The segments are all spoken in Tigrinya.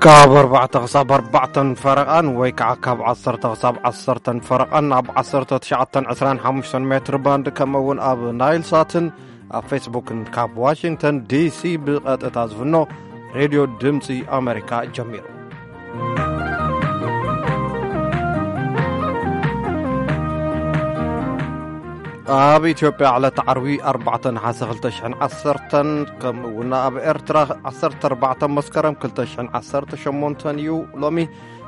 ካብ ኣርባዕተ ክሳብ ኣርባዕተን ፈረቓን ወይ ከዓ ካብ ዓሰርተ ክሳብ ዓሰርተን ፈረቓን ኣብ ዓሰርተ ትሽዓተን ዕስራን ሓሙሽተን ሜትር ባንድ፣ ከምኡ እውን ኣብ ናይል ሳትን ኣብ ፌስቡክን ካብ ዋሽንግተን ዲሲ ብቐጥታ ዝፍኖ ሬድዮ ድምፂ ኣሜሪካ ጀሚሩ። ኣብ ኢትዮጵያ ዕለት ዓርቢ ኣርባዕተ ነሓሰ ክልተ ሽሕን ዓሰርተን፣ ከምኡ እውን ኣብ ኤርትራ ዓሰርተ ኣርባዕተ መስከረም ክልተ ሽሕን ዓሰርተ ሸሞንተን እዩ። ሎሚ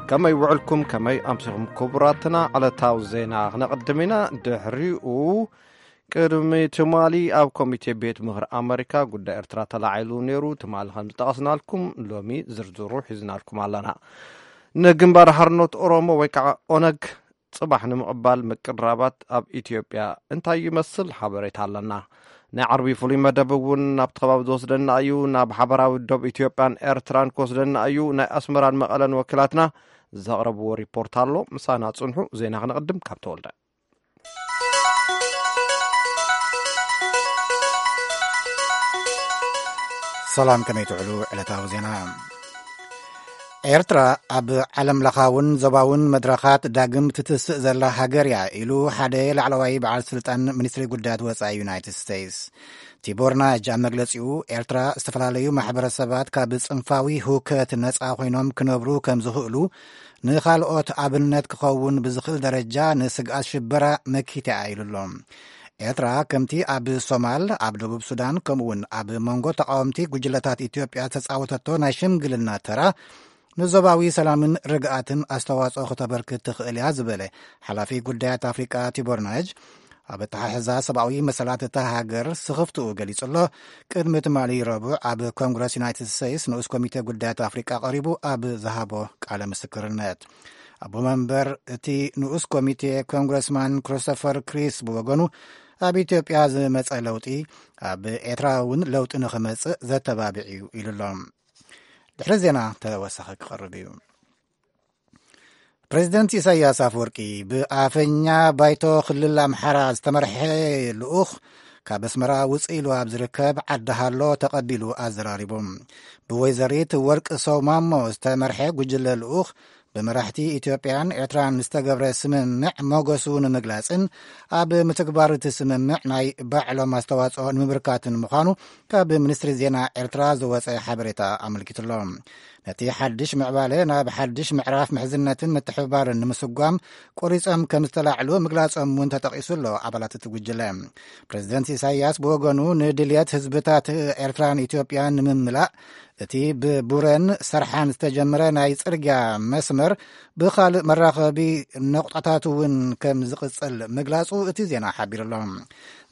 ከመይ ውዕልኩም፣ ከመይ ኣምሲኹም ክቡራትና? ዕለታዊ ዜና ክነቕድም ኢና። ድሕሪኡ ቅድሚ ትማሊ ኣብ ኮሚቴ ቤት ምኽሪ ኣመሪካ ጉዳይ ኤርትራ ተላዒሉ ነይሩ። ትማሊ ከም ዝጠቐስናልኩም፣ ሎሚ ዝርዝሩ ሒዝናልኩም ኣለና። ንግንባር ሓርነት ኦሮሞ ወይ ከዓ ኦነግ ጽባሕ ንምቕባል ምቅራባት ኣብ ኢትዮጵያ እንታይ ይመስል? ሓበሬታ ኣለና። ናይ ዓርቢ ፍሉይ መደብ እውን ናብቲ ከባቢ ዝወስደና እዩ። ናብ ሓበራዊ ዶብ ኢትዮጵያን ኤርትራን ክወስደና እዩ። ናይ ኣስመራን መቐለን ወኪላትና ዘቕረብዎ ሪፖርት ኣሎ። ምሳና ጽንሑ። ዜና ክነቕድም ካብ ተወልደ። ሰላም፣ ከመይ ትውዕሉ? ዕለታዊ ዜና። ኤርትራ ኣብ ዓለም ለኻውን ዞባውን መድረኻት ዳግም ትትስእ ዘላ ሃገር እያ ኢሉ ሓደ ላዕለዋይ በዓል ስልጣን ሚኒስትሪ ጉዳያት ወጻኢ ዩናይትድ ስቴትስ። ቲቦር ናጅ ኣብ መግለጺኡ፣ ኤርትራ ዝተፈላለዩ ማሕበረሰባት ካብ ጽንፋዊ ህውከት ነጻ ኮይኖም ክነብሩ ከም ዝኽእሉ ንኻልኦት ኣብነት ክኸውን ብዝኽእል ደረጃ ንስግኣት ሽበራ መኪታ ኢሉ ኣሎ። ኤርትራ ከምቲ ኣብ ሶማል፣ ኣብ ደቡብ ሱዳን፣ ከምኡ እውን ኣብ መንጎ ተቃወምቲ ጉጅለታት ኢትዮጵያ ዝተጻወተቶ ናይ ሽምግልና ተራ ንዞባዊ ሰላምን ርግኣትን ኣስተዋጽኦ ክተበርክት ትኽእል እያ ዝበለ ሓላፊ ጉዳያት ኣፍሪቃ ቲቦር ናጅ፣ ኣብ ኣተሓሕዛ ሰብኣዊ መሰላት እታ ሃገር ስኽፍትኡ ገሊጹ ኣሎ። ቅድሚ ትማሊ ረቡዕ ኣብ ኮንግረስ ዩናይትድ ስቴትስ ንኡስ ኮሚቴ ጉዳያት ኣፍሪቃ ቀሪቡ ኣብ ዝሃቦ ቃለ ምስክርነት፣ ኣቦ መንበር እቲ ንኡስ ኮሚቴ ኮንግረስማን ክሪስቶፈር ክሪስ ብወገኑ፣ ኣብ ኢትዮጵያ ዝመጸ ለውጢ ኣብ ኤርትራ እውን ለውጢ ንኽመጽእ ዘተባብዕ እዩ ኢሉ ኣሎ። ድሕሪ ዜና ተወሳኺ ክቐርብ እዩ። ፕሬዚደንት ኢሳያስ ኣፈወርቂ ብኣፈኛ ባይቶ ክልል ኣምሓራ ዝተመርሐ ልኡኽ ካብ ኣስመራ ውፅእ ኢሉ ኣብ ዝርከብ ዓዲ ሃሎ ተቐቢሉ ኣዘራሪቡ። ብወይዘሪት ወርቂ ሰው ማሞ ዝተመርሐ ጉጅለ ልኡኽ ብመራሕቲ ኢትዮጵያን ኤርትራን ዝተገብረ ስምምዕ ሞገሱ ንምግላጽን ኣብ ምትግባር እቲ ስምምዕ ናይ ባዕሎም ኣስተዋጽኦ ንምብርካትን ምዃኑ ካብ ሚኒስትሪ ዜና ኤርትራ ዝወጸ ሓበሬታ ኣመልኪቱሎ። ነቲ ሓድሽ ምዕባለ ናብ ሓድሽ ምዕራፍ ምሕዝነትን ምትሕብባርን ንምስጓም ቆሪጾም ከም ዝተላዕሉ ምግላጾም እውን ተጠቒሱ ኣሎ። ኣባላት እቲ ጉጅለ፣ ፕሬዚደንት ኢሳያስ ብወገኑ፣ ንድልየት ህዝብታት ኤርትራን ኢትዮጵያን ንምምላእ እቲ ብቡረን ሰርሓን ዝተጀመረ ናይ ጽርግያ መስመር ብኻልእ መራኸቢ ነቑጣታት እውን ከም ዝቕጽል ምግላጹ እቲ ዜና ሓቢሩ ኣሎ።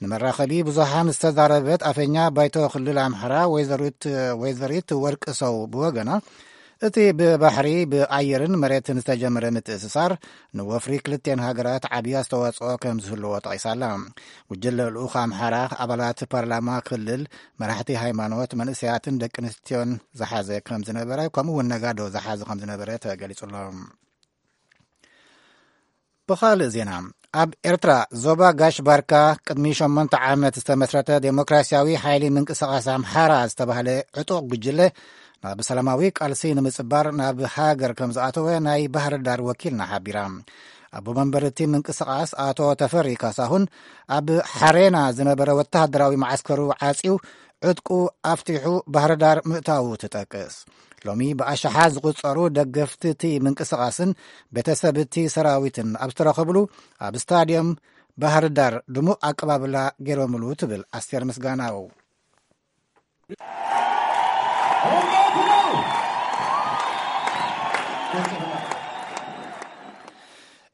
ንመራኸቢ ብዙሃን ዝተዛረበት ኣፈኛ ባይቶ ክልል ኣምሓራ ወይዘሪት፣ ወይዘሪት ወርቂ ሰው ብወገና፣ እቲ ብባሕሪ ብኣየርን መሬትን ዝተጀመረ ምትእስሳር ንወፍሪ ክልቴን ሃገራት ዓብዪ ኣስተዋጽኦ ከም ዝህልዎ ጠቒሳላ። ጉጅለ ልኡኽ ኣምሓራ ኣባላት ፓርላማ ክልል፣ መራሕቲ ሃይማኖት፣ መንእሰያትን ደቂ ኣንስትዮን ዝሓዘ ከም ዝነበረ፣ ከምኡ እውን ነጋዶ ዝሓዘ ከም ዝነበረ ተገሊጹ ኣሎ። ብኻልእ ዜና፣ ኣብ ኤርትራ ዞባ ጋሽ ባርካ ቅድሚ ሸሞንተ ዓመት ዝተመስረተ ዴሞክራሲያዊ ሓይሊ ምንቅስቓስ ኣምሓራ ዝተባህለ ዕጡቕ ጉጅለ ናብ ሰላማዊ ቃልሲ ንምጽባር ናብ ሃገር ከም ዝኣተወ ናይ ባህር ዳር ወኪልና ሓቢራ። ኣቦ መንበር እቲ ምንቅስቓስ ኣቶ ተፈሪ ካሳሁን፣ ኣብ ሓሬና ዝነበረ ወተሃደራዊ መዓስከሩ ዓጽዩ ዕጥቁ ኣፍቲሑ ባህር ዳር ምእታዉ ትጠቅስ። ሎሚ ብኣሽሓት ዝቑጸሩ ደገፍቲ እቲ ምንቅስቓስን ቤተሰብ እቲ ሰራዊትን ኣብ ዝተረኸብሉ ኣብ ስታድየም ባህር ዳር ድሙቕ ኣቀባብላ ገይሮምሉ ትብል ኣስቴር ምስጋናው።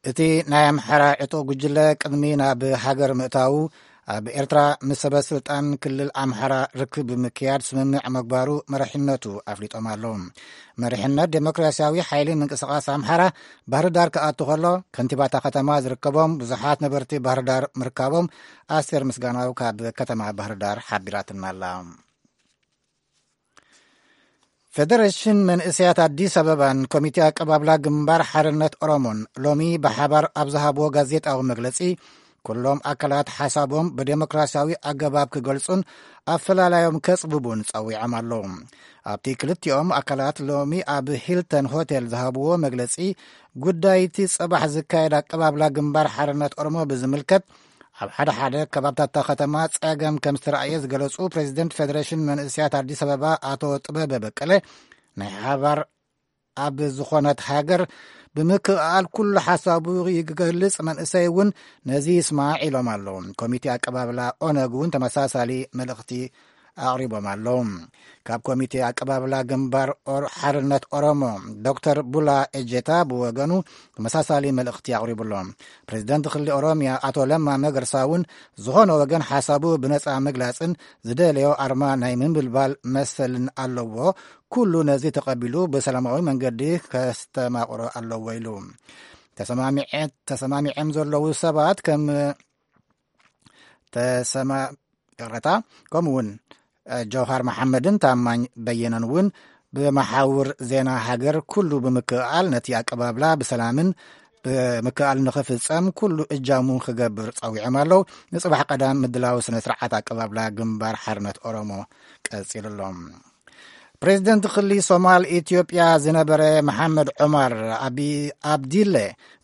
እቲ ናይ ኣምሓራ ዕጡቕ ጉጅለ ቅድሚ ናብ ሃገር ምእታዉ ኣብ ኤርትራ ምስ ሰበ ስልጣን ክልል ኣምሓራ ርክብ ብምክያድ ስምምዕ መግባሩ መሪሕነቱ ኣፍሊጦም ኣለዉ። መሪሕነት ዴሞክራሲያዊ ሓይሊ ምንቅስቓስ ኣምሓራ ባህር ዳር ክኣቱ ከሎ፣ ከንቲባታ ከተማ ዝርከቦም ብዙሓት ነበርቲ ባህር ዳር ምርካቦም ኣስቴር ምስጋናው ካብ ከተማ ባህር ዳር ሓቢራትና ኣላ። ፌደሬሽን መንእሰያት ኣዲስ ኣበባን ኮሚቴ ኣቀባብላ ግንባር ሓርነት ኦሮሞን ሎሚ ብሓባር ኣብ ዝሃብዎ ጋዜጣዊ መግለጺ፣ ኩሎም ኣካላት ሓሳቦም ብዴሞክራሲያዊ ኣገባብ ክገልጹን ኣፈላላዮም ከጽብቡን ጸዊዖም ኣለዉ። ኣብቲ ክልቲኦም ኣካላት ሎሚ ኣብ ሂልተን ሆቴል ዝሃብዎ መግለጺ፣ ጉዳይቲ ጽባሕ ዝካየድ ኣቀባብላ ግንባር ሓርነት ኦሮሞ ብዝምልከት፣ ኣብ ሓደ ሓደ ከባብታት እታ ከተማ ጸገም ከም ዝተራእየ ዝገለጹ ፕሬዚደንት ፌደሬሽን መንእሰያት ኣዲስ ኣበባ ኣቶ ጥበበ በቀለ፣ ናይ ሓባር ኣብ ዝኾነት ሃገር ብምክእኣል ኩሉ ሓሳቡ ይገልጽ፣ መንእሰይ እውን ነዚ ይስማዕ ኢሎም ኣለዉ። ኮሚቴ ኣቀባብላ ኦነግ እውን ተመሳሳሊ መልእኽቲ ኣቕሪቦም ኣለዉ። ካብ ኮሚቴ ኣቀባብላ ግንባር ኦር-፣ ሓርነት ኦሮሞ ዶክተር ቡላ ኤጀታ ብወገኑ ተመሳሳሊ መልእኽቲ ኣቕሪቡ ኣሎ። ፕሬዚደንት ክልል ኦሮሚያ ኣቶ ለማ መገርሳ እውን ዝኾነ ወገን ሓሳቡ ብነጻ ምግላጽን ዝደለዮ ኣርማ ናይ ምምብልባል መሰልን ኣለዎ። ኩሉ ነዚ ተቐቢሉ ብሰላማዊ መንገዲ ከስተማቕሮ ኣለዎ ኢሉ። ተሰማሚዐ-፣ ተሰማሚዐም ዘለዉ ሰባት ከም ተሰማ-፣ ይቕረታ፣ ከምኡ እውን፣ እ፣ ጀውሃር መሓመድን ታማኝ በየነን እውን ብመሓውር ዜና ሃገር ኩሉ ብምክእኣል ነቲ ኣቀባብላ ብሰላምን ብምክእኣል ንኽፍጸም ኩሉ እጃሙ ክገብር ጸዊዖም ኣለዉ። ንጽባሕ ቀዳም ምድላው ስነ ስርዓት ኣቀባብላ ግንባር ሓርነት ኦሮሞ ቀጺሉ ኣሎ። ፕሬዚደንት ክሊ ሶማል ኢትዮጵያ ዝነበረ መሓመድ ዑማር ኣቢ-፣ ኣብዲለ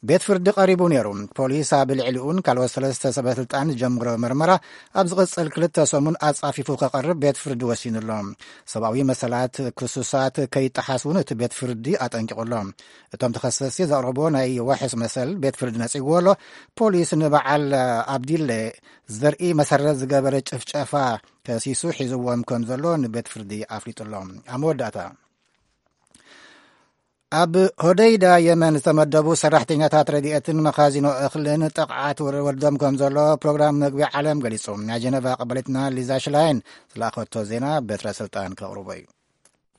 ቤት ፍርዲ ቀሪቡ ነይሩ። ፖሊስ ኣብ ልዕሊኡን ካልኦት ሰለስተ ሰበ ስልጣን ዝጀምሮ መርመራ ኣብ ዝቕጽል ክልተ ሰሙን ኣጻፊፉ ከቐርብ ቤት ፍርዲ ወሲኑ ኣሎ። ሰብኣዊ መሰላት ክሱሳት ከይጠሓስ እውን እቲ ቤት ፍርዲ ኣጠንቂቑ ኣሎ። እቶም ተኸሰስቲ ዘቕረቦ ናይ ዋሕስ መሰል ቤት ፍርዲ ነጺግዎ ኣሎ። ፖሊስ ንበዓል ኣብዲለ ዘርኢ መሰረት ዝገበረ ጭፍጨፋ ከሲሱ ሒዝዎም ከም ዘሎ ንቤት ፍርዲ ኣፍሊጡ ኣሎ። ኣብ መወዳእታ፣ ኣብ ሆደይዳ የመን ዝተመደቡ ሰራሕተኛታት ረድኤትን መኻዚኖ እኽልን ጥቕዓት ወረ-፣ ወርዶም ከም ዘሎ ፕሮግራም መግቢ ዓለም ገሊጹ። ናይ ጀነቫ ቀበሊትና ሊዛ ሽላይን ዝለኣኸቶ ዜና በትረ ስልጣን ከቕርቦ እዩ።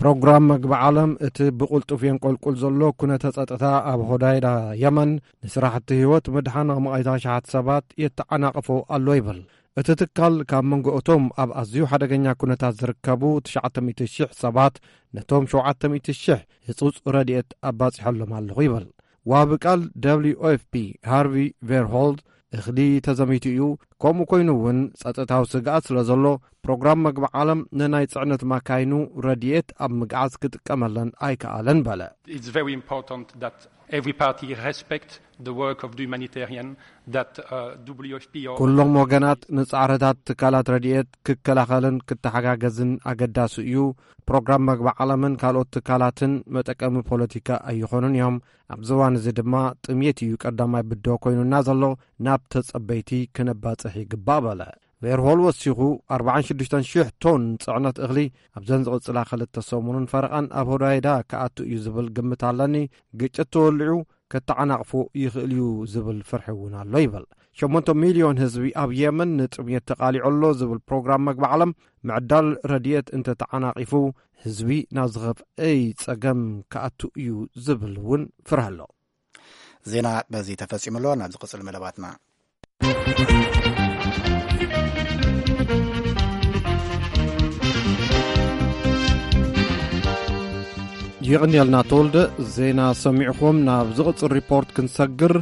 ፕሮግራም መግቢ ዓለም እቲ ብቕልጡፍ የንቆልቁል ዘሎ ኩነተ ጸጥታ ኣብ ሆዳይዳ የመን ንስራሕቲ ህይወት ምድሓን ኣማኢት ኣሽሓት ሰባት የተዓናቕፎ ኣሎ ይብል። እቲ ትካል ካብ መንጎ እቶም ኣብ ኣዝዩ ሓደገኛ ኩነታት ዝርከቡ ትሽዓተ ሚእቲ ሽሕ ሰባት ነቶም ሸውዓተ ሚእቲ ሽሕ ህጹጽ ረድኤት ኣባጺሖሎም ኣለኹ ይብል። ዋቢ ቃል ደብሊው ኤፍ ፒ ሃርቪ ቬርሆልድ እኽሊ ተዘሚቱ እዩ፣ ከምኡ ኮይኑ እውን ጸጥታዊ ስግኣት ስለ ዘሎ ፕሮግራም መግቢ ዓለም ንናይ ጽዕነት ማካይኑ ረድኤት ኣብ ምግዓዝ ክጥቀመለን ኣይከኣለን በለ። It's very important that every party respect the work of the humanitarian that, uh, W F P or ኩሎም ወገናት ንጻዕርታት ትካላት ረድኤት ክከላኸልን ክተሓጋገዝን ኣገዳሲ እዩ። ፕሮግራም መግቢ ዓለምን ካልኦት ትካላትን መጠቀሚ ፖለቲካ ኣይኾኑን እዮም። ኣብዚ እዋን እዚ ድማ ጥሜት እዩ ቀዳማይ ብድሆ ኮይኑና ዘሎ፣ ናብ ተጸበይቲ ክነባጽሕ ይግባእ በለ። ቬርሆል ወሲኹ፣ ኣርባዓን ሽዱሽተን ሽሕ ቶን ጽዕነት እኽሊ ኣብዘን ዝቕጽላ ክልተ ሰሙንን ፈረቓን ኣብ ሆዳይዳ ክኣቱ እዩ ዝብል ግምት ኣለኒ። ግጭት ተወሊዑ ከተዓናቕፎ ይኽእል እዩ ዝብል ፍርሒ እውን ኣሎ ይብል። ሸሞንተ ሚልዮን ህዝቢ ኣብ የመን ንጥሜት ተቓሊዑ ኣሎ ዝብል ፕሮግራም መግቢ ዓለም፣ ምዕዳል ረድኤት እንተተዓናቒፉ ህዝቢ ናብ ዝኸፍአ ጸገም ክኣቱ እዩ ዝብል እውን ፍርሒ ኣሎ። ዜና በዚ ተፈጺሙ ኣሎ። ናብ ዝቕጽል መደባትና። የቐንየልና ተወልደ፣ ዜና ሰሚዕኹም። ናብ ዝቕጽል ሪፖርት ክንሰግር፣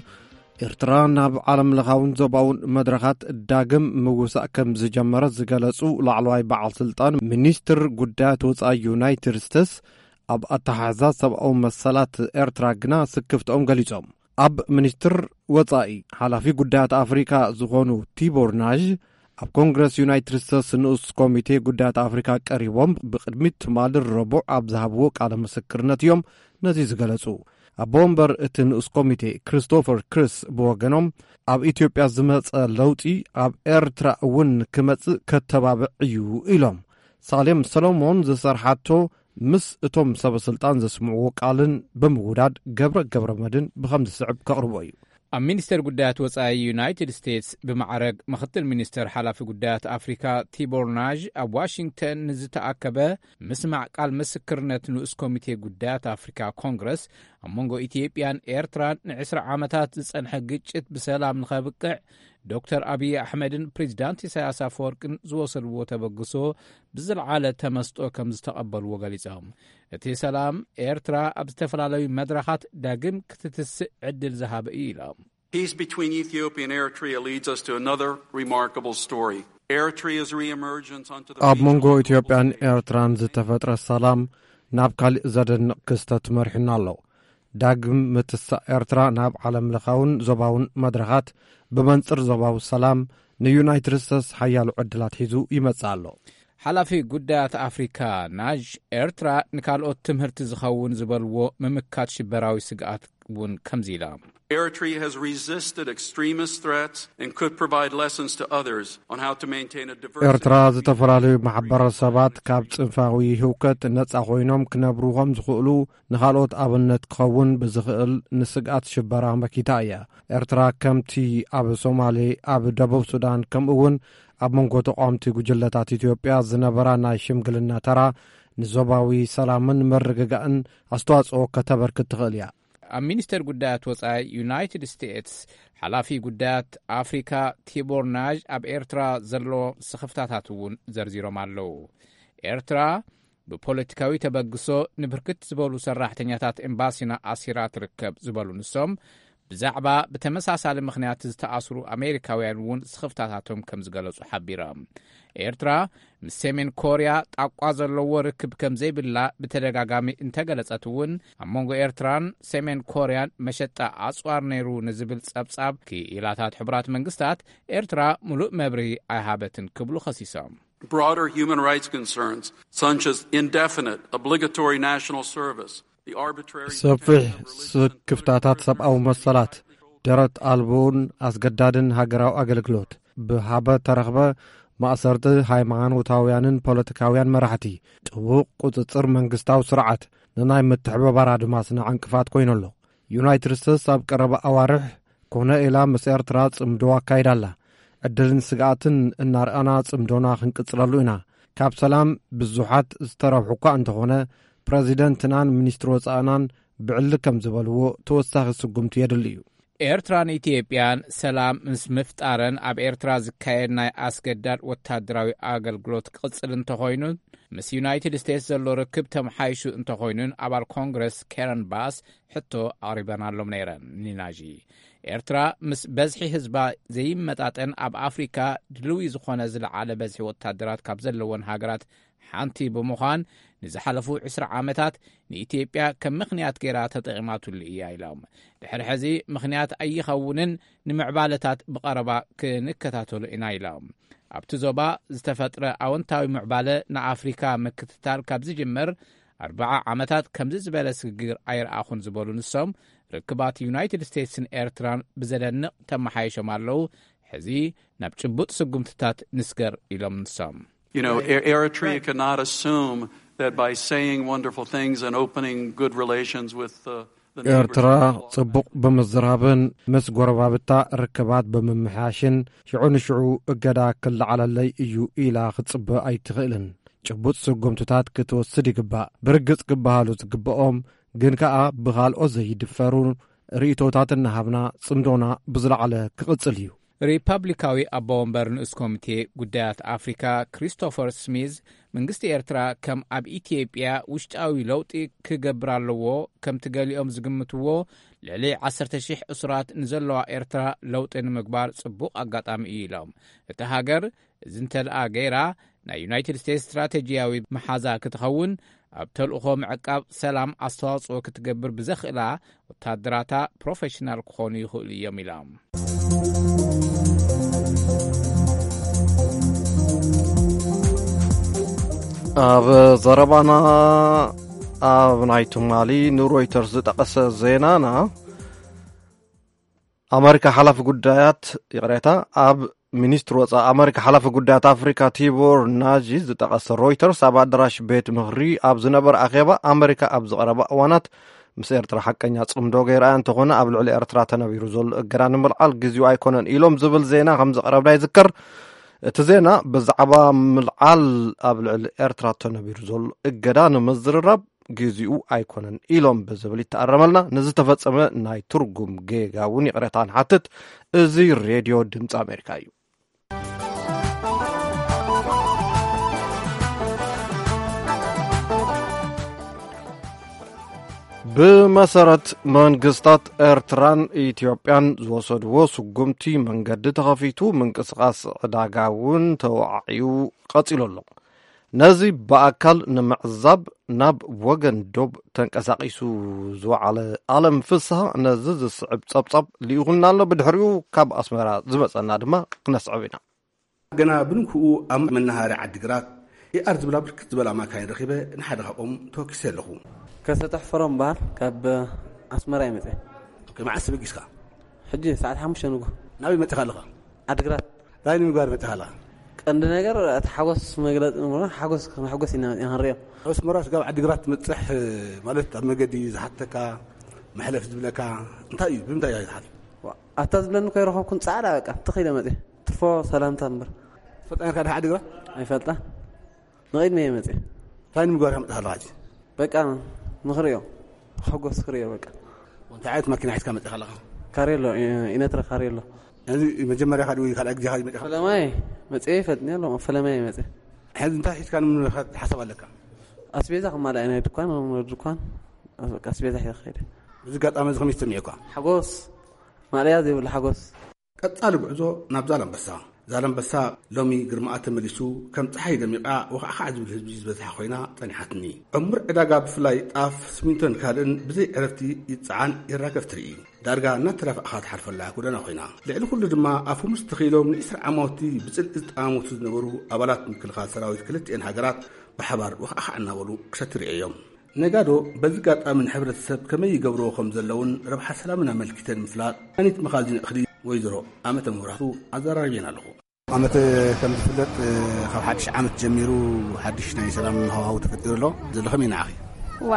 ኤርትራ ናብ ዓለም ለኻውን ዞባውን መድረኻት ዳግም ምውሳእ ከም ዝጀመረት ዝገለጹ ላዕለዋይ በዓል ስልጣን ሚኒስትር ጉዳያት ወጻኢ ዩናይትድ ስቴትስ፣ ኣብ ኣተሓሕዛ ሰብኣዊ መሰላት ኤርትራ ግና ስክፍትኦም ገሊጾም። ኣብ ሚኒስትር ወጻኢ ሓላፊ ጉዳያት ኣፍሪካ ዝኾኑ ቲቦር ናዥ፣ ኣብ ኮንግረስ ዩናይትድ ስቴትስ ንኡስ ኮሚቴ ጉዳያት ኣፍሪካ ቀሪቦም ብቅድሚት ትማሊ ረቡዕ ኣብ ዝሃብዎ ቃለ ምስክርነት እዮም ነዚ ዝገለጹ። ኣቦ ወንበር እቲ ንኡስ ኮሚቴ ክሪስቶፈር ክሪስ ብወገኖም፣ ኣብ ኢትዮጵያ ዝመጸ ለውጢ ኣብ ኤርትራ እውን ክመጽእ ከተባብዕ እዩ ኢሎም። ሳሌም ሰሎሞን ዝሰርሓቶ ምስ እቶም ሰበ ስልጣን ዘስምዕዎ ቃልን ብምውዳድ ገብረ ገብረ መድን ብኸም ዝስዕብ ከቕርቦ እዩ። ኣብ ሚኒስቴር ጉዳያት ወጻኢ ዩናይትድ ስቴትስ ብማዕረግ ምኽትል ሚኒስተር ሓላፊ ጉዳያት ኣፍሪካ ቲቦር ናዥ ኣብ ዋሽንግተን ንዝተኣከበ ምስማዕ ቃል ምስክርነት ንኡስ ኮሚቴ ጉዳያት ኣፍሪካ ኮንግረስ ኣብ መንጎ ኢትዮጵያን ኤርትራን ንዕስራ ዓመታት ዝጸንሐ ግጭት ብሰላም ንኸብቅዕ ዶክተር ኣብይ ኣሕመድን ፕሬዚዳንት ኢሳያስ ኣፈወርቅን ዝወሰድዎ ተበግሶ ብዝለዓለ ተመስጦ ከም ዝተቐበልዎ ገሊጾም። እቲ ሰላም ኤርትራ ኣብ ዝተፈላለዩ መድረኻት ዳግም ክትትስእ ዕድል ዝሃበ እዩ ኢሎም። Peace between Ethiopia and Eritrea leads us to another remarkable story. Eritrea's reemergence onto the ኣብ መንጎ ኢትዮጵያን ኤርትራን ዝተፈጥረ ሰላም ናብ ካሊእ ዘደንቕ ክስተት መሪሑና ኣሎ። ዳግም ምትሳእ ኤርትራ ናብ ዓለም ለኻውን ዞባውን መድረኻት፣ ብመንጽር ዞባዊ ሰላም፣ ንዩናይትድ ስቴትስ ሓያሎ ዕድላት ሒዙ ይመጽእ ኣሎ። ሓላፊ ጉዳያት ኣፍሪካ ናጅ፣ ኤርትራ ንካልኦት ትምህርቲ ዝኸውን ዝበልዎ ምምካት ሽበራዊ ስግኣት እውን ከምዚ ኢላ። Eritrea has resisted extremist threats and could provide lessons to others on how to maintain a diverse ኤርትራ ዝተፈላለዩ ማሕበረሰባት ካብ ጽንፋዊ ህውከት ነጻ ኮይኖም ክነብሩ ከም ዝኽእሉ ንኻልኦት ኣብነት ክኸውን ብዝኽእል ንስግኣት ሽበራ መኪታ እያ። ኤርትራ ከምቲ ኣብ ሶማሌ፣ ኣብ ደቡብ ሱዳን፣ ከምኡ እውን ኣብ መንጎ ተቃወምቲ ጉጅለታት ኢትዮጵያ ዝነበራ ናይ ሽምግልና ተራ ንዞባዊ ሰላምን ምርግጋእን ኣስተዋጽኦ ከተበርክት ትኽእል እያ። ኣብ ሚኒስተር ጉዳያት ወጻኢ ዩናይትድ ስቴትስ ሓላፊ ጉዳያት ኣፍሪካ ቲቦር ናዥ ኣብ ኤርትራ ዘሎ ስኽፍታታት እውን ዘርዚሮም ኣለዉ። ኤርትራ ብፖለቲካዊ ተበግሶ ንብርክት ዝበሉ ሰራሕተኛታት ኤምባሲና ኣሲራ ትርከብ ዝበሉ ንሶም፣ ብዛዕባ ብተመሳሳሊ ምኽንያት ዝተኣስሩ ኣሜሪካውያን እውን ስኽፍታታቶም ከም ዝገለጹ ሓቢሮም። ኤርትራ ምስ ሰሜን ኮርያ ጣቋ ዘለዎ ርክብ ከም ዘይብላ ብተደጋጋሚ እንተገለጸት እውን፣ ኣብ መንጎ ኤርትራን ሰሜን ኮርያን መሸጣ ኣጽዋር ነይሩ ንዝብል ጸብጻብ ክኢላታት ሕቡራት መንግስታት፣ ኤርትራ ምሉእ መብርሂ ኣይሃበትን ክብሉ ኸሲሶም። Broader human rights concerns, such as indefinite obligatory national service, the arbitrary ሰፊሕ ስክፍታታት ሰብኣዊ መሰላት፣ ደረት ኣልቦን ኣስገዳድን ሃገራዊ ኣገልግሎት፣ ብሃበ ተረኽበ ማእሰርቲ ሃይማኖታውያንን ፖለቲካውያን መራሕቲ፣ ጥቡቕ ቁጽጽር መንግስታዊ ስርዓት ንናይ ምትሕብባር ኣድማስና ዕንቅፋት ኮይኑ ኣሎ። ዩናይትድ ስቴትስ ኣብ ቀረባ ኣዋርሕ ኮነ ኢላ ምስ ኤርትራ ጽምዶ ኣካይዳ ኣላ። ዕድልን ስግኣትን እናርኣና ጽምዶና ክንቅጽለሉ ኢና። ካብ ሰላም ብዙሓት ዝተረብሑ እኳ እንተኾነ፣ ፕረዚደንትናን ሚኒስትሪ ወጻእናን ብዕሊ ከም ዝበልዎ፣ ተወሳኺ ስጉምቲ የድሊ እዩ። ኤርትራን ኢትዮጵያን ሰላም ምስ ምፍጣረን ኣብ ኤርትራ ዝካየድ ናይ ኣስገዳድ ወታደራዊ ኣገልግሎት ክቕጽል እንተኾይኑን ምስ ዩናይትድ ስቴትስ ዘሎ ርክብ ተመሓይሹ እንተኾይኑን ኣባል ኮንግረስ ካረን ባስ ሕቶ ኣቕሪበናሎም ነይረን። ንናጂ ኤርትራ ምስ በዝሒ ህዝባ ዘይመጣጠን ኣብ ኣፍሪካ ድልዊ ዝኾነ ዝለዓለ በዝሒ ወታደራት ካብ ዘለወን ሃገራት ሓንቲ ብምዃን ንዝሓለፉ ዕስራ ዓመታት ንኢትዮጵያ ከም ምኽንያት ገይራ ተጠቒማትሉ እያ ኢሎም። ድሕሪ ሕዚ ምኽንያት ኣይኸውንን፣ ንምዕባለታት ብቐረባ ክንከታተሉ ኢና ኢሎም። ኣብቲ ዞባ ዝተፈጥረ ኣወንታዊ ምዕባለ ንኣፍሪካ ምክትታል ካብ ዝጅምር ኣርባዓ ዓመታት ከምዚ ዝበለ ስግግር ኣይረኣኹን ዝበሉ ንሶም፣ ርክባት ዩናይትድ ስቴትስን ኤርትራን ብዘደንቕ ተመሓይሾም ኣለዉ። ሕዚ ናብ ጭቡጥ ስጉምትታት ንስገር ኢሎም ንሶም። You know, E- Eritrea cannot assume that by saying wonderful things and opening good relations with uh, the neighbors ኤርትራ ጽቡቕ ብምዝራብን ምስ ጎረባብታ ርክባት ብምምሕያሽን ሽዑ ንሽዑ እገዳ ክለዓለለይ እዩ ኢላ ክትጽበ ኣይትኽእልን። ጭቡጥ ስጉምትታት ክትወስድ ይግባእ። ብርግጽ ክበሃሉ ዝግብኦም ግን ከኣ ብኻልኦት ዘይድፈሩ ርእይቶታት እናሃብና ጽምዶና ብዝለዓለ ክቕጽል እዩ። ሪፐብሊካዊ ኣቦ ወንበር ንኡስ ኮሚቴ ጉዳያት ኣፍሪካ ክሪስቶፈር ስሚዝ፣ መንግስቲ ኤርትራ ከም ኣብ ኢትዮጵያ ውሽጣዊ ለውጢ ክገብር ኣለዎ፣ ከምቲ ገሊኦም ዝግምትዎ ልዕሊ ዓሰርተ ሺሕ እሱራት ንዘለዋ ኤርትራ ለውጢ ንምግባር ጽቡቕ ኣጋጣሚ እዩ ኢሎም። እታ ሃገር እዚ እንተደኣ ገይራ፣ ናይ ዩናይትድ ስቴትስ ስትራቴጂያዊ መሓዛ ክትኸውን፣ ኣብ ተልእኾ ምዕቃብ ሰላም ኣስተዋጽኦ ክትገብር ብዘኽእላ ወታደራታ ፕሮፌሽናል ክኾኑ ይኽእሉ እዮም ኢሎም። ኣብ ዘረባና፣ ኣብ ናይ ትማሊ ንሮይተርስ ዝጠቐሰ ዜናና፣ ኣመሪካ ሓላፊ ጉዳያት፣ ይቕሬታ፣ ኣብ ሚኒስትሪ ወጻኢ ኣመሪካ ሓላፊ ጉዳያት ኣፍሪካ ቲቦር ናጂ ዝጠቐሰ ሮይተርስ፣ ኣብ ኣዳራሽ ቤት ምኽሪ ኣብ ዝነበረ ኣኼባ፣ ኣመሪካ ኣብ ዝቐረባ እዋናት ምስ ኤርትራ ሓቀኛ ጽምዶ ገይራ እያ፣ እንተኾነ ኣብ ልዕሊ ኤርትራ ተነቢሩ ዘሎ እገዳ ንምልዓል ግዜኡ ኣይኮነን ኢሎም ዝብል ዜና ከም ዘቕረብና ይዝከር። እቲ ዜና ብዛዕባ ምልዓል ኣብ ልዕሊ ኤርትራ ተነቢሩ ዘሎ እገዳ ንምዝርራብ ግዜኡ ኣይኮነን ኢሎም ብዝብል ይተኣረመልና። ንዝተፈጸመ ናይ ትርጉም ጌጋ እውን ይቕሬታ ንሓትት። እዚ ሬድዮ ድምፂ ኣሜሪካ እዩ። ብመሰረት መንግስታት ኤርትራን ኢትዮጵያን ዝወሰድዎ ስጉምቲ፣ መንገዲ ተኸፊቱ፣ ምንቅስቓስ ዕዳጋ እውን ተወዓዕዩ ቀጺሉ ኣሎ። ነዚ ብኣካል ንምዕዛብ ናብ ወገን ዶብ ተንቀሳቒሱ ዝወዓለ ኣለም ፍስሃ፣ ነዚ ዝስዕብ ጸብጻብ ልኢኹልና ኣሎ። ብድሕሪኡ ካብ ኣስመራ ዝመጸና ድማ ክነስዕብ ኢና። ገና ብንግህኡ ኣብ መናሃርያ ዓዲግራት ኤኣር ዝብላ ብርክት ዝበላ ማካይን ረኺበ፣ ንሓደ ካብኦም ተወኪሰ ኣለኹ። ከሰተ ሕፈሮም በሃል፣ ካብ ኣስመራ ይመጽእ። ኦኬ፣ መዓስ ተበጊስካ? ሕጂ ሰዓት ሓሙሽተ ንግሆ። ናበይ መጺኻ ኣለኻ? ዓዲግራት። እንታይ ንምግባር መጺኻ ኣለኻ? ቀንዲ ነገር እቲ ሓጎስ መግለጺ ንብሎ፣ ሓጎስ ከነሕጎስ ኢና መጺና ክንሪኦ። ኣስመራ ስጋብ ዓዲግራት ትመጽሕ ማለት ኣብ መገዲ ዝሓተካ፣ መሕለፍ ዝብለካ እንታይ እዩ? ብምንታይ እያ ዝሓልፍ? ዋ፣ ኣታ ዝብለኒ እኮ ኣይረኸብኩን፣ ጻዕዳ በቃ፣ ትኽ ኢለ መጺእ። ትርፎ ሰላምታ እምበር። ትፈልጣ ነርካ ድኻ ዓዲግራት? ኣይፈልጣ። ንቕድሚ እየ መጺእ። እንታይ ንምግባር እያ መጺኻ ኣለኻ ሕጂ? በቃ፣ ንኽሪኦ። ሓጎስ ክሪኦ በቃ። እንታይ ዓይነት ማኪና ሒዝካ መጺኻ ኣለኻ? ካሬሎ፣ ኢ-፣ ኢነትረ ካሬሎ። እዚ መጀመርያ ኻዲ ወይ ካልኣይ ግዜ ኻዲ መጺኻ? ፈለማይ መጺኤ ይፈልጥኒ ኣሎ፣ ፈለማይ መጺኤ። ሕዚ እንታይ ሒዝካ ንምኻድ ሓሳብ ኣለካ? ኣስቤዛ ክማልኣ ናይ ድኳን፣ ድኳን፣ በቃ ኣስቤዛ ሒዘ ክኸይድ። እዚ ኣጋጣሚ እዚ ከመይ ተሰሚዑካ? ሓጎስ፣ ማለያ ዘይብሉ ሓጎስ። ቀጻሊ ጉዕዞ ናብ ዛላምበሳ። ዛላምበሳ ሎሚ ግርማኣ ተመሊሱ፣ ከም ጸሓይ ደሚቓ፣ ወኻዕኻዕ ዝብል ህዝቢ ዝበዝሓ ኮይና ጸኒሓትኒ። ዕሙር ዕዳጋ፣ ብፍላይ ጣፍ፣ ስሚንቶን ካልእን ብዘይ ዕረፍቲ ይጸዓን ይራገፍ ትርኢ። ዳርጋ እናተዳፋእኻ ትሓልፈላ ጎደና ኮይና። ልዕሊ ኩሉ ድማ፣ ኣፎም ዝተኺሎም ንዒስራ ዓማውቲ ብጽልኢ ዝጠማመቱ ዝነበሩ ኣባላት ምክልኻል ሰራዊት ክልቲኤን ሃገራት ብሓባር ወኻዕኻዕ እናበሉ ክሰቲ ርእየዮም። ነጋዶ በዚ ኣጋጣሚ ንሕብረተሰብ ከመይ ይገብርዎ ከም ዘለውን ረብሓ ሰላምን ኣመልኪተን ምፍላጥ፣ መድሃኒት መኻዚን እኽሊ ወይዘሮ ኣመተ መብራህቱ ኣዘራሪበን ኣለኹ። ኣመተ፣ ከም ዝፍለጥ፣ ካብ ሓድሽ ዓመት ጀሚሩ ሓድሽ ናይ ሰላም ሃዋህው ተፈጢሩ ኣሎ። ዘሎ ከመይ ንዓኺ? ዋ፣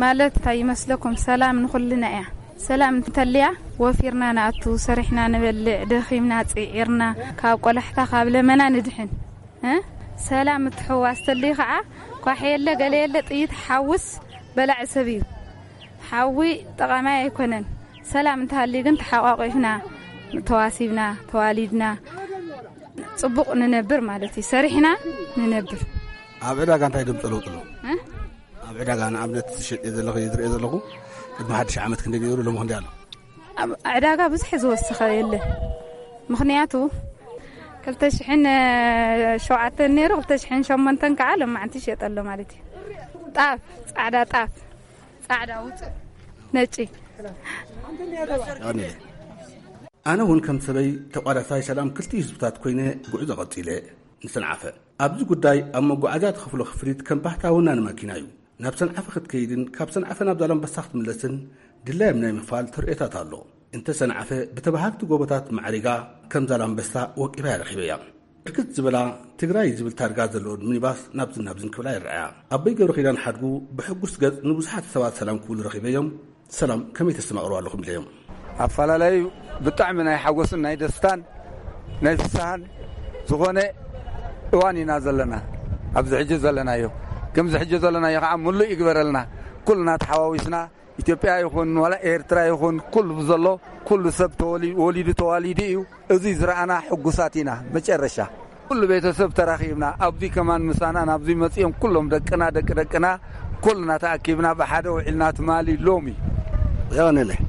ማለት እንታይ ይመስለኩም? ሰላም ንኹልና እያ። ሰላም እንተልያ፣ ወፊርና ንኣቱ፣ ሰሪሕና ንበልዕ፣ ደኺምና ጽዒርና፣ ካብ ቆላሕታ፣ ካብ ለመና ንድሕን። እ? ሰላም ምትሕውዋስ ተልዩ ኸዓ፣ ኳሕ የለ፣ ገለ የለ፣ ጥይት ሓውስ በላዒ ሰብ እዩ። ሓዊ ጠቓማይ ኣይኮነን። ሰላም እንተሃልዩ ግን ተሓቋቒፍና፣ ተዋሲብና፣ ተዋሊድና፣ ጽቡቕ ንነብር ማለት እዩ። ሰሪሕና ንነብር። ኣብ ዕዳጋ እንታይ ድምጾ ለውጢ ኣሎ? እ? ኣብ ዕዳጋ ንኣብነት ትሸጥ ዘለኹ፣ ዝርእዮ ዘለኹ፣ ቅድሚ ሓድሽ ዓመት ክንደይ ነይሩ፣ ሎሚ ክንደይ ኣሎ? ኣብ ዕዳጋ ብዙሕ ዝወሰኸ የለን። ምኽንያቱ፣ ክልተ ሽሕን ሸውዓተን ነይሩ፣ ክልተ ሽሕን ሸሞንተን ከዓ ሎማዓንቲ ይሸጥ ኣሎ ማለት እዩ። ጣፍ፣ ጻዕዳ ጣፍ፣ ጻዕዳ ውጹእ፣ ነጪ። ኣነ እውን ከም ሰበይ ተቋዳሳይ ሰላም ክልቲኡ ህዝብታት ኮይነ ጉዕዞ ቀጺለ ንሰንዓፈ። ኣብዚ ጉዳይ ኣብ መጓዓዝያ ትኸፍሎ ክፍሊት ከም ባህታ ወናኒ ማኪና እዩ። ናብ ሰንዓፈ ክትከይድን ካብ ሰንዓፈ ናብ ዛላምበሳ ክትምለስን ድላዮም ናይ ምኽፋል ተርእዮታት ኣሎ። እንተ ሰንዓፈ ብተባሃግቲ ጎቦታት ማዕሪጋ ከም ዛላምበሳ ወቂባ እያ ረኺበያ። ብርክት ዝበላ ትግራይ ዝብል ታርጋ ዘለዎን ሚኒባስ ናብዝን ናብዝን ክብላ ይረኣያ። ኣቦይ ገብረኺዳን ሓድጉ ብሕጉስ ገጽ ንብዙሓት ሰባት ሰላም ክብሉ ረኺበዮም። ሰላም ከመይ ተስተማቕሩ ኣለኹም ኢለዮም። ኣፈላለዩ ብጣዕሚ ናይ ሓጎስን ናይ ደስታን ናይ ፍስሃን ዝኾነ እዋን ኢና ዘለና። ኣብዚ ሕጂ ዘለናዮ፣ ከምዚ ሕጂ ዘለናዮ ከዓ ምሉእ ይግበረልና። ኩልና ተሓዋዊስና ኢትዮጵያ ይኹን ዋላ ኤርትራ ይኹን ኩሉ ዘሎ ኩሉ ሰብ ተወሊ-፣ ወሊዱ ተዋሊዱ እዩ። እዚ ዝረኣና ሕጉሳት ኢና። መጨረሻ ኩሉ ቤተሰብ ተራኺብና፣ ኣብዚ ከማን ምሳና ናብዚ መጺኦም ኩሎም ደቅና፣ ደቂ ደቅና፣ ኩልና ተኣኪብና ብሓደ ውዒልና ትማሊ ሎሚ። የቐንየለይ።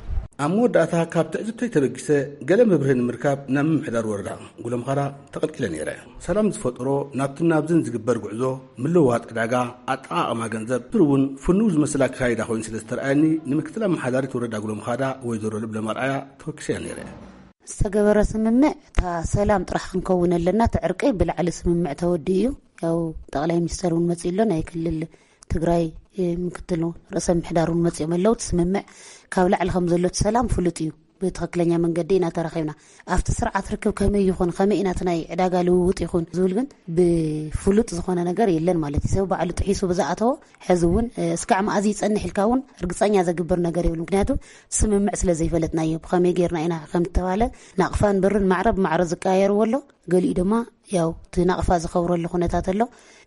ኣብ መወዳእታ ካብ ትዕዝብተይ ተበጊሰ ገለ መብርሂ ንምርካብ ናብ ምምሕዳር ወረዳ ጉለምኻዳ ተቐልቂለ ነይረ። ሰላም ዝፈጠሮ ናብትን ናብዝን ዝግበር ጉዕዞ፣ ምልውዋጥ ዕዳጋ፣ ኣጠቓቕማ ገንዘብ፣ ብር እውን ፍኑው ዝመስል ኣካይዳ ኮይኑ ስለ ዝተረኣየኒ፣ ንምክትል ኣመሓዳሪት ወረዳ ጉለምኻዳ ወይዘሮ ልብለም ኣርኣያ ተወኪሰያ ነይረ። ዝተገበረ ስምምዕ፣ እታ ሰላም ጥራሕ ክንከውን ኣለና፣ እቲ ዕርቂ ብላዕሊ ስምምዕ ተወዲኡ እዩ። ያው ጠቕላይ ሚኒስተር እውን መጺኡ ኣሎ፣ ናይ ክልል ትግራይ፣ እ፣ ምክትል ርእሰ ምምሕዳር እውን መጺኦም ኣለዉ። እቲ ስምምዕ ካብ ላዕሊ ከም ዘሎ እቲ ሰላም ፍሉጥ እዩ። ብትኽክለኛ መንገዲ ኢና ተራኺብና። ኣብቲ ስርዓት ርክብ ከመይ ይኹን፣ ከመይ ኢና እቲ ናይ ዕዳጋ ልውውጥ ይኹን ዝብል ግን ብፍሉጥ ዝኾነ ነገር የለን ማለት እዩ። ሰብ ባዕሉ ጥሒሱ ብዝኣተዎ፣ ሕዚ እውን፣ እ፣ እስካዕ መኣዝ ይጸንሕ ኢልካ እውን ርግጸኛ ዘግብር ነገር የብሉ። ምክንያቱ ስምምዕ ስለ ዘይፈለጥናዮ፣ ብኸመይ ጌርና ኢና ከም ዝተባለ፣ ናቕፋን ብርን ማዕረ ብማዕረ ዝቀያየርዎ ኣሎ። ገሊኡ ድማ ያው እቲ ናቕፋ ዝኸብረሉ ኩነታት ኣሎ።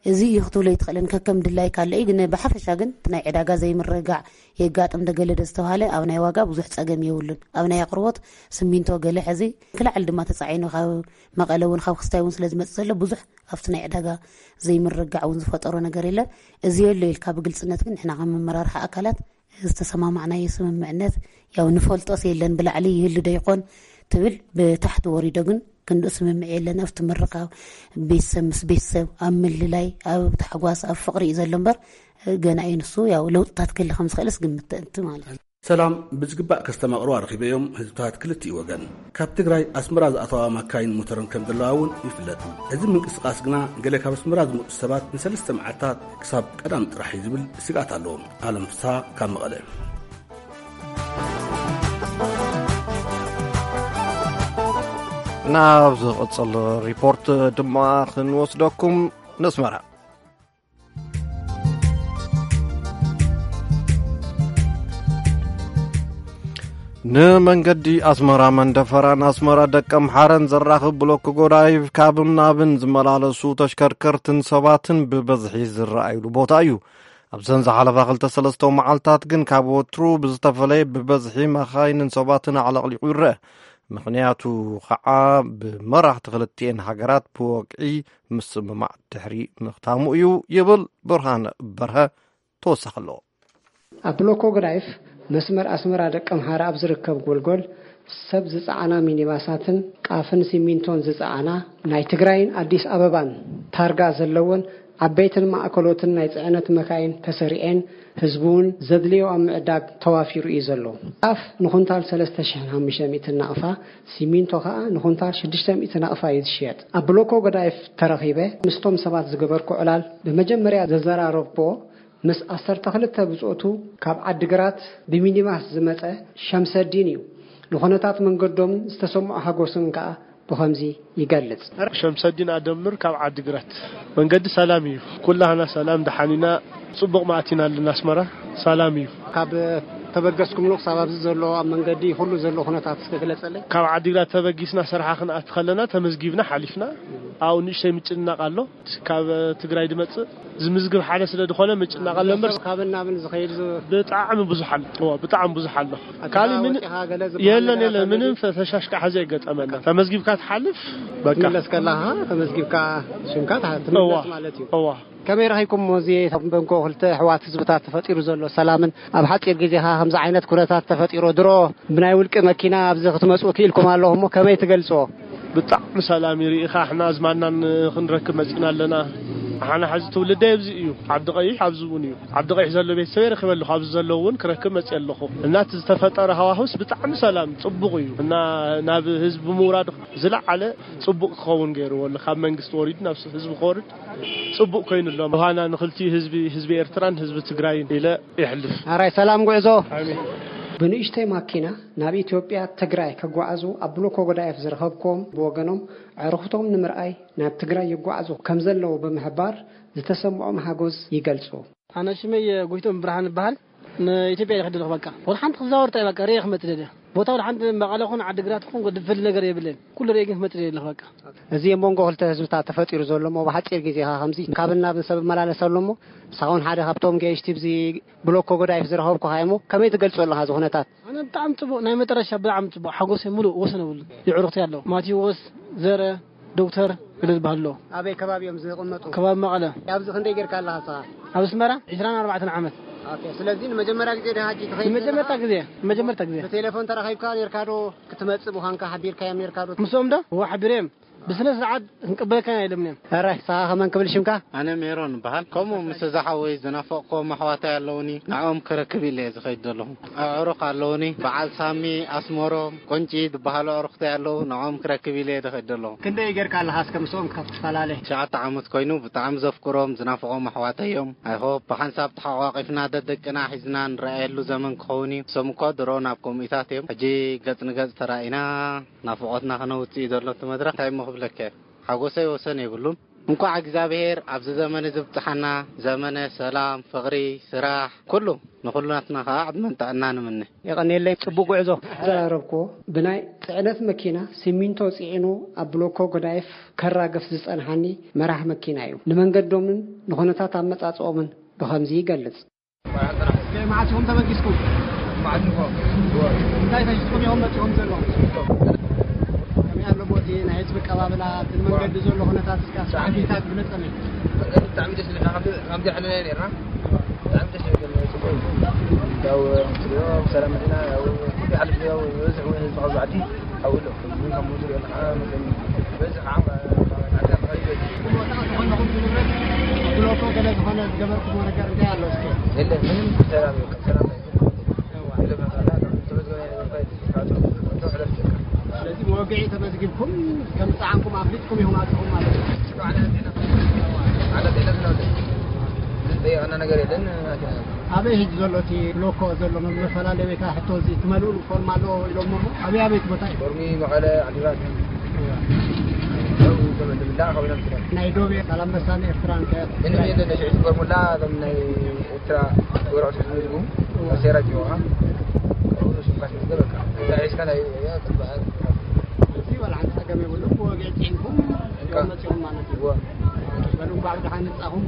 እዚ እዩ ክትብሎ ኣይትኽእልን፣ ከከም ድላይካ ኣሎ እዩ። ግን ብሓፈሻ ግን እቲ ናይ ዕዳጋ ዘይምርግጋዕ የጋጥም፣ ደገለደ ዝተባሃለ ኣብ ናይ ዋጋ ብዙሕ ጸገም የብሉን። ኣብ ናይ ኣቕርቦት ስሚንቶ ገለ ሕዚ ክልዓል ድማ ተጻዒኑ ካብ መቐለ እውን ካብ ክስታይ እውን ስለ ዝመጽእ ዘሎ ብዙሕ ኣብቲ ናይ ዕዳጋ ዘይምርግጋዕ እውን ዝፈጠሮ ነገር የለን። እዚ የሎ ኢልካ ብግልጽነት ግን ንሕና ከም መመራርሒ ኣካላት ዝተሰማማዕናዮ ስምምዕነት ያው ንፈልጦስ የለን ብላዕሊ ይህሉ ዶ ይኾን ትብል፣ ብታሕቲ ወሪዶ ግን ክንድኡ ስምምዕ የለን። ኣብቲ ምርቓ ቤተሰብ ምስ ቤተሰብ ኣብ ምልላይ ኣብ ታሕጓስ ኣብ ፍቕሪ እዩ ዘሎ እምበር ገና እዩ ንሱ ያው ለውጥታት ክህሊ ከም ዝኽእልስ ግምት ተእንቲ ማለት እዩ። ሰላም ብዝግባእ ከስተማቕሩ ኣረኺበዮም ህዝብታት ክልቲኡ ወገን። ካብ ትግራይ ኣስመራ ዝኣተዋ ማካይን ሞተርን ከም ዘለዋ እውን ይፍለጥ። እዚ ምንቅስቓስ ግና ገለ ካብ ኣስመራ ዝመፁ ሰባት ንሰለስተ መዓልታት ክሳብ ቀዳም ጥራሕ እዩ ዝብል ስግኣት ኣለዎም። ኣለም ፍስሃ ካብ መቐለ። ናብ ዝቕጽል ሪፖርት ድማ ክንወስደኩም ነስመራ። ንመንገዲ ኣስመራ መንደፈራን ኣስመራ ደቀምሓረን ዘራኽብ ብሎክ ጎዳይፍ ካብን ናብን ዝመላለሱ ተሽከርከርትን ሰባትን ብበዝሒ ዝረኣዩሉ ቦታ እዩ። ኣብዘን ዝሓለፋ ክልተ ሰለስተ መዓልታት ግን ካብ ወትሩ ብዝተፈለየ ብበዝሒ መኻይንን ሰባትን ኣዕለቕሊቑ ይረአ። ምኽንያቱ ኸዓ ብመራሕቲ ክልቲኤን ሃገራት ብወግዒ ምስምማዕ ድሕሪ ምኽታሙ እዩ ይብል ብርሃነ በርሀ ተወሳኺ ኣለዎ። ኣብ ብሎኮ ገዳይፍ መስመር ኣስመራ ደቀምሓረ ኣብ ዝርከብ ጎልጎል ሰብ ዝጸዓና ሚኒባሳትን ቃፍን ሲሚንቶን ዝጸዓና ናይ ትግራይን ኣዲስ ኣበባን ታርጋ ዘለወን ዓበይትን ማእከሎትን ናይ ጽዕነት መካይን ተሰሪዐን ህዝቢ እውን ዘድልዮ ኣብ ምዕዳግ ተዋፊሩ እዩ ዘሎ። ቃፍ ንኹንታል ሰለስተ ሽሕን ሓሙሽተ ሚእትን ናቕፋ፣ ሲሚንቶ ከኣ ንኹንታል ሽዱሽተ ሚእቲ ናቕፋ እዩ ዝሽየጥ። ኣብ ብሎኮ ገዳይፍ ተረኺበ ምስቶም ሰባት ዝገበርኩ ዕላል ብመጀመርያ ዘዘራረብክዎ ምስ ዓሰርተ ክልተ ብጾቱ ካብ ዓዲግራት ብሚኒባስ ዝመጸ ሸምሰዲን እዩ። ንኹነታት መንገዶምን ዝተሰምዖ ሓጎስን ከኣ ብኸምዚ ይገልጽ። ሸምሰዲን ኣደምር ካብ ዓዲግራት። መንገዲ ሰላም እዩ። ኩላህና ሰላም ደሓን ኢና። ጽቡቕ መኣቲና ኣለና ኣስመራ። ሰላም እዩ። ካብ ተበገስኩምሉ ክሳብ ኣብዚ ዘሎ ኣብ መንገዲ ኩሉ ዘሎ ኩነታት እስከ ግለጸለይ። ካብ ዓዲግራት ተበጊስና ስራሓ ክንኣቲ ከለና ተመዝጊብና ሓሊፍና። ኣብኡ ንእሽተይ ምጭንናቕ ኣሎ። ካብ ትግራይ ድመጽእ ዝምዝግብ ሓደ ስለ ዝኾነ ምጭናቕ ኣሎ እምበር። ሰብ ካብን ናብን ዝኸይድ ዝ- ብጣዕሚ ብዙሕ ኣሎ። እዋ፣ ብጣዕሚ ብዙሕ ኣሎ። ኣዲኻ ካሊእ ምን- ወፂኻ ገለ ዝበሃል የለን፣ ነገር የለን፣ ኣሎ ምንም ድዩ? ፈ- ፈሻሽ ከዓ ዘይገጠመና። ተመዝጊብካ ትሓልፍ፣ በቃ። ትምለስ ከለኻ ተመዝጊብካ ሽምካ ትሓ- ትምለስ እዋ፣ ማለት እዩ። እዋ። ከመይ ረኺብኩሞ እዚ ኣብ መንጎ ክልተ ኣሕዋት ህዝብታት ተፈጢሩ ዘሎ ሰላምን ኣብ ሓፂር ግዜኻ ከምዚ ዓይነት ኩነታት ተፈጢሩ ድሮ ብናይ ውልቂ መኪና ኣብዚ ክትመፁ ክኢልኩም ኣለኹም እሞ ከመይ ትገልፅዎ? ብጣዕሚ ሰላም እዩ። ርኢኻ፣ ኣሕና ኣዝማድናን ክንረክብ መጺና ኣለና። ኣሓና ሕዚ ትውልደይ ኣብዚ እዩ። ዓዲ ቀይሕ ኣብዚ እውን እዩ። ዓዲ ቀይሕ ዘሎ ቤተሰበይ ረኺበ ኣለኹ። ኣብዚ ዘለዉ እውን ክረክብ መጺአ ኣለኹ። እና እቲ ዝተፈጠረ ሃዋሁስ ብጣዕሚ ሰላም ጽቡቕ እዩ። እና ናብ ህዝቢ ምውራድ ዝለዓለ ጽቡቕ ክኸውን ገይርዎ ኣሎ። ካብ መንግስቲ ወሪዱ ናብ ህዝቢ ክወርድ ጽቡቕ ኮይኑ ኣሎ። ምዃና ንኽልቲኡ ህዝቢ፣ ህዝቢ ኤርትራን ህዝቢ ትግራይን ኢለ ይሕልፍ። ኣራይ ሰላም ጉዕዞ። ኣሜን። ብንእሽተይ ማኪና ናብ ኢትዮጵያ ትግራይ ከጓዓዙ ኣብ ብሎኮ ጎዳይፍ ዝረኸብክዎም ብወገኖም ኣዕሩኽቶም ንምርኣይ ናብ ትግራይ ይጓዓዙ ከም ዘለዉ ብምሕባር ዝተሰምዖም ሓጎስ ይገልጹ። ኣነ ሽመይ ጎይቶም ብርሃን እበሃል። ንኢትዮጵያ እየ ክደለኹ በቃ። ወላ ሓንቲ ክዛወር ጥራይ በቃ ርእየ ክመጽእ ደልየ። ቦታ ወላ ሓንቲ መቐለ ኹን ዓዲግራት ኹን ዝፈልጥ ነገር የብለይን። ኩሉ ርእየ ግን ክመጽእ ደልየ ኣለኹ በቃ። እዚ ኣብ መንጎ ክልተ ህዝብታት ተፈጢሩ ዘሎ እሞ ብሓጺር ግዜ ኸኣ ከምዚ ካብን ናብን ሰብ ይመላለስ ኣሎ እሞ ንስኻ እውን ሓደ ካብቶም ገየሽቲ ኣብዚ ብሎኮ ጎዳይፍ ዝረኸብኩኻ እየ እሞ ከመይ ትገልጾ ኣለኻ እዚ ኩነታት? ኣነ ብጣዕሚ ጽቡቕ፣ ናይ መጨረሻ ብጣዕሚ ጽቡቕ፣ ሓጎሰይ ምሉእ ወሰን የብሉን። የዕሩኽተይ ኣለዉ። ማቴዎስ፣ ዘረ፣ ዶክተር ገለ ዝበሃሉ ኣለዉ። ኣበይ ከባቢ እዮም ዝቕመጡ? ከባቢ መቐለ። ኣብዚ ክንደይ ጌርካ ኣለኻ ንስኻ? ኣብ ኣስመራ ዕስራን ኣርባዕተን ዓመት። ኦኬ፣ ስለዚ ንመጀመርያ ግዜ ዲኻ ሕጂ ትኸይድ ዘለኻ? ንመጀመርታ ግዜ፣ ንመጀመርታ ግዜ። ብቴሌፎን ተራኺብካ ኔርካ ዶ? ክትመጽእ ምዃንካ ሓቢርካዮም ኔርካ ዶ? ምስኦም ዶ? እወ፣ ሓቢረዮም። ብስነ ስርዓት ክንቅበለካ ኢና ኢሎምኒ እዮም። ሕራይ፣ ንስኻ ከመን ክብል ሽምካ? ኣነ ሜሮን እበሃል። ከምኡ ምስ እዛ ሓወይ ዝናፈቕክዎም ኣሕዋተይ ኣለዉኒ። ንዕኦም ክረክብ ኢለ እየ ዝኸይድ ዘለኹ። ኣዕሩኽ ኣለዉኒ። በዓል ሳሚ፣ ኣስመሮም፣ ቁንጪ ዝበሃሉ ኣዕሩኽተይ ኣለዉ። ንዕኦም ክረክብ ኢለ እየ ዝኸይድ ዘለኹ። ክንደይ ጌርካ ኣለኻ እስከ ምስኦም ካብ ትፈላለ? ትሽዓተ ዓመት ኮይኑ ብጣዕሚ ዘፍቅሮም ዝናፍቖም ኣሕዋተይ እዮም። I hope ብሓንሳብ ተሓቋቒፍና ደደቅና ሒዝና ንረኣየሉ ዘመን ክኸውን እዩ። እሶም እኮ ድሮ ናብ ከምኡታት እዮም። ሕጂ ገጽ ንገጽ ተራኢና ናፍቖትና ከነውጽእ እዩ ዘሎ እቲ መድረኽ። እንታይ እሞ ክብለካ እየ? ሓጎሰይ ወሰን የብሉን። እንኳዕ እግዚኣብሔር ኣብዚ ዘመን እዚ ብጽሓና፣ ዘመነ ሰላም፣ ፍቕሪ፣ ስራሕ፣ ኩሉ ንኹሉናትና ኸዓ ዕድመን ጥዕናን እምነ። የቐንየለይ፣ ጽቡቕ ጉዕዞ። ዘራረብክዎ ብናይ ጽዕነት መኪና ሲሚንቶ ጽዒኑ ኣብ ብሎኮ ጎዳይፍ ከራግፍ ዝጸንሓኒ መራሕ መኪና እዩ። ንመንገዶምን ንኹነታት ኣመጻጽኦምን ብኸምዚ ይገልጽ። መዓስ ኢኹም ተበጊስኩም? መዓስ ኢኹም? እንታይ ተሽጥኩም ኢኹም መጺኹም ዘለኹም? ከመይ ኣሎ ቦቲ ናይ ህዝቢ ቀባብላ፣ እቲ መንገዲ ዘሎ ኩነታት እስከ ኣስማዕቢልካ ግለጸለይ። መንገዲ ብጣዕሚ ደስ ዝብል፣ ከምዚ፣ ከምዚ ሕነ ኔርና። ብጣዕሚ ደስ ይብል፣ ጽቡቅ እዩ። ያው፣ ክትሪኦ ብሰላም መጺና፣ ያው፣ ኩሉ ይሓልፍ፣ ያው፣ ዝበዝሕ እውን ህዝቢ ካብዚ ዓዲ ኣብኡ ኣሎ። እዚ ካብ ሙዙር የለ ከዓ መሰለኒ። ዝበዝሕ ከዓ ዓዲ ተኸሪቡ እዩ። ብሎኮ ገለ ዝኾነ ዝገበርኩሞ ነገር እንታይ ኣሎ እስኪ? የለን፣ ምንም ሰላም እዩ፣ ሰላም እዩ። ገለ መሳርያ፣ ከም ዝተመዝገበ ነገር እንታይ እዩ? ስለዚ መወግዒ ተመዝጊብኩም ከም ዝጸዓንኩም ኣፍሊጥኩም ኢኹም ኣቲኹም ማለት እዩ። ዓለም የለን፣ ዝጠየቐና ነገር የለን። ኣበይ ሕጂ ዘሎ እቲ ብሎኮ ዘሎ መፈላለይ ወይ ከዓ ሕቶ እዚ ትመልኡ ፎርም ኣለዎ ኢሎሞ እሞ ኣበይ ኣበይ ቦታ እዩ? ፎርሚ መቐለ፣ ዓዲግራት፣ ዝብላዕ ካብ ኢና ንስራሕ። ናይ ዶብ፣ ዛላምበሳን ኤርትራን ከ? ምንም የለን። ሽዑ ፎርሙላ እዞም ናይ ኤርትራ ወረቐት ዝህቡ ኣሰራት ይወሃ። እዚ ዋላ ሓንቲ ጸገም የብሉን። ብወግዒ ጽዒንኩም እዮም መጺኦም ማለት እዩ። በሉ እንኳዕ ብደሓን መጻኹም።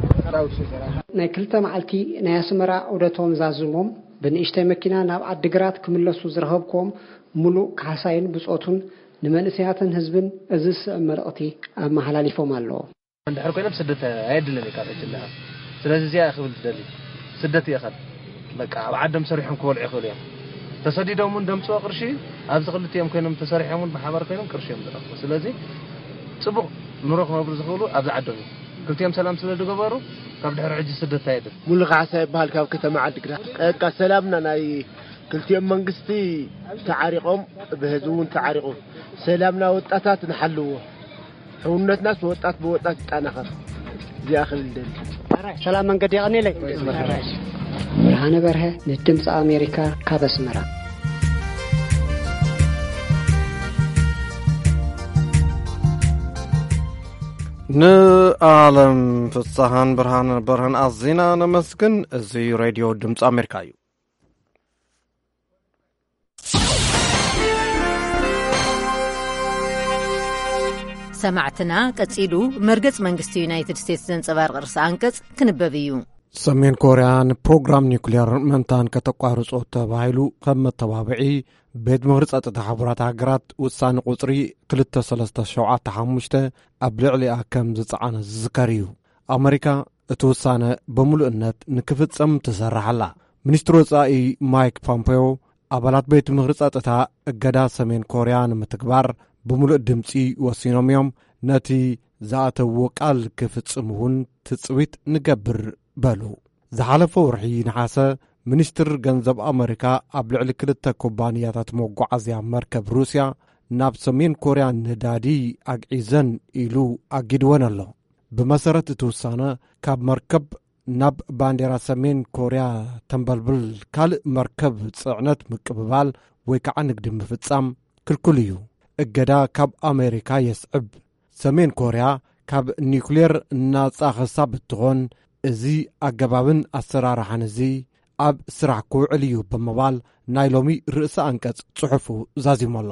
ናይ ክልተ መዓልቲ ናይ ኣስመራ ዑደቶም ዛዚሞም ብንእሽተይ መኪና ናብ ዓዲግራት ክምለሱ ዝረኸብኩዎም ምሉእ ካሕሳይን ብጾቱን ንመንእሰያትን ህዝብን እዚ ዝስዕብ መልእኽቲ ኣመሓላሊፎም ኣለዉ። እንድሕር ኮይኖም ስደት ኣየድልን እዩ ካብ ሕጂ ኣለኻ። ስለዚ እዚኣ እየ ክብል ዝደሊ። ስደት ይእኸል። በቃ ኣብ ዓዶም ሰሪሖም ክበልዑ ይኽእሉ እዮም። ተሰዲዶም እውን ደምፅዎ ቅርሺ ኣብዚ ክልቲኦም ኮይኖም ተሰሪሖም እውን ብሓባር ኮይኖም ቅርሺ እዮም ዝረኽቡ። ስለዚ ፅቡቕ ኑሮ ክነብሩ ዝኽእሉ ኣብዚ ዓዶም እዩ። ክልቲኦም ሰላም ስለ ዝገበሩ ካብ ድሕሪ ሕጂ ስደት ኣየድልን። ሙሉ ካሕሳ ይበሃል ካብ ከተማ ዓዲግራት። በቃ ሰላምና ናይ ክልቲኦም መንግስቲ ተዓሪቖም ብህዝቢ እውን ተዓሪቑ ሰላምና ወጣታት ንሓልዎ። ሕውነትናስ ብወጣት ብወጣት ይጠናኸር። እዚኣ ክብል ደሊ። ሰላም መንገዲ የቐኒለይ። ብርሃነ በርሀ ንድምፂ ኣሜሪካ ካብ ኣስመራ። ንኣለም ፍስሃን ብርሃነ በርሀን ኣዚና ነመስግን። እዚ ሬድዮ ድምፂ ኣሜሪካ እዩ። ሰማዕትና፣ ቀጺሉ መርገጽ መንግስቲ ዩናይትድ ስቴትስ ዘንጸባርቕ ርእሰ ኣንቀጽ ክንበብ እዩ። ሰሜን ኮርያ ንፕሮግራም ኒውክሌር ምእንታን ከተቋርጾ ተባሂሉ ከም መተባብዒ ቤት ምኽሪ ጸጥታ ሕቡራት ሃገራት ውሳነ ቁጽሪ ክልተ ሰለስተ ሸውዓተ ሓሙሽተ ኣብ ልዕሊኣ ከም ዝጸዓነ ዝዝከር እዩ። ኣመሪካ እቲ ውሳነ ብምሉእነት ንክፍጸም ትሰርሕ ኣላ። ሚኒስትሪ ወጻኢ ማይክ ፖምፔዮ ኣባላት ቤት ምኽሪ ጸጥታ እገዳ ሰሜን ኮርያ ንምትግባር ብምሉእ ድምጺ ወሲኖም እዮም። ነቲ ዝኣተውዎ ቃል ክፍጽም እውን ትጽቢት ንገብር በሉ። ዝሓለፈ ወርሒ ነሓሰ ሚኒስትር ገንዘብ ኣመሪካ ኣብ ልዕሊ ክልተ ኩባንያታት መጓዓዝያ መርከብ ሩስያ ናብ ሰሜን ኮርያ ነዳዲ ኣግዒዘን ኢሉ ኣጊድወን ኣሎ። ብመሰረት እቲ ውሳነ ካብ መርከብ ናብ ባንዴራ ሰሜን ኮርያ ተንበልብል ካልእ መርከብ ጽዕነት ምቅብባል ወይ ከዓ ንግዲ ምፍጻም ክልኩል እዩ። እገዳ ካብ ኣሜሪካ የስዕብ። ሰሜን ኮርያ ካብ ኒውክሌር ናጻ ክሳብ እትኾን እዚ ኣገባብን ኣሰራርሓን እዚ ኣብ ስራሕ ክውዕል እዩ ብምባል ናይ ሎሚ ርእሰ ኣንቀጽ ጽሑፉ ዛዚሙ ኣሎ።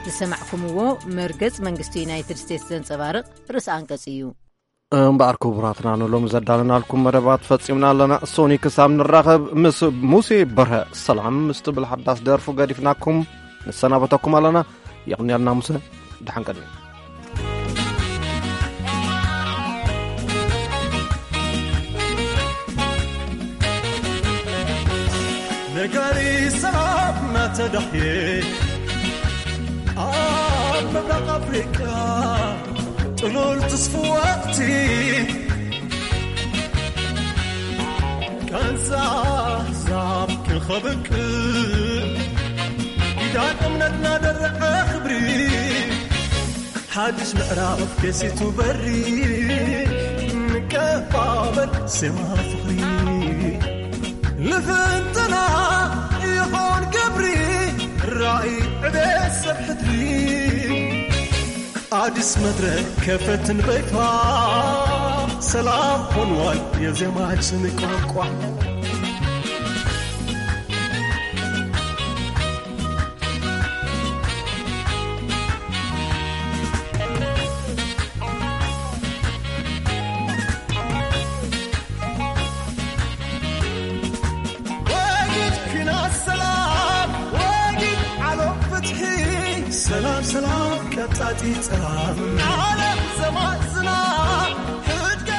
ዝሰማዕኩምዎ መርገጽ መንግስቲ ዩናይትድ ስቴትስ ዘንጸባርቕ ርእሰ ኣንቀጽ እዩ። እምበኣር ክቡራትና ንሎሚ ዘዳለናልኩም መደባት ፈጺምና ኣለና። ሶኒ ክሳብ ንራኸብ ምስ ሙሴ በርሀ ሰላም ምስ ትብል ሓዳስ ደርፉ ገዲፍናኩም ንሰናበተኩም ኣለና። የቕንየልና ሙሴ፣ ደሓን ቀንዩ። ነጋሪ ሰላም እናተዳህየ ኣብ ምብራቕ ኣፍሪቃ ጥሉል ትስፉ ወቕቲ ቃንዛ ኣሕዛብ ክኸብቅዕ ኪዳን እምነትና ደረቐ ክብሪ ሓድሽ ምዕራፍ ከሲቱ በሪ ንቀባበል ዜማ ፍቕሪ ልፍንትና ይኾን ግብሪ ራእይ ዕቤት ሰብ ሕድሪ ኣዲስ መድረክ ከፈትን በይፋ ሰላም ሆንዋል የዜማችን ቋንቋ። ወጊድ ኲናት ሰላም፣ ወጊድ ዓለም ፍትሒ፣ ሰላም ሰላም ቀጣጢ ጸላም፣ ዓለም ዘማዝና ሕድገት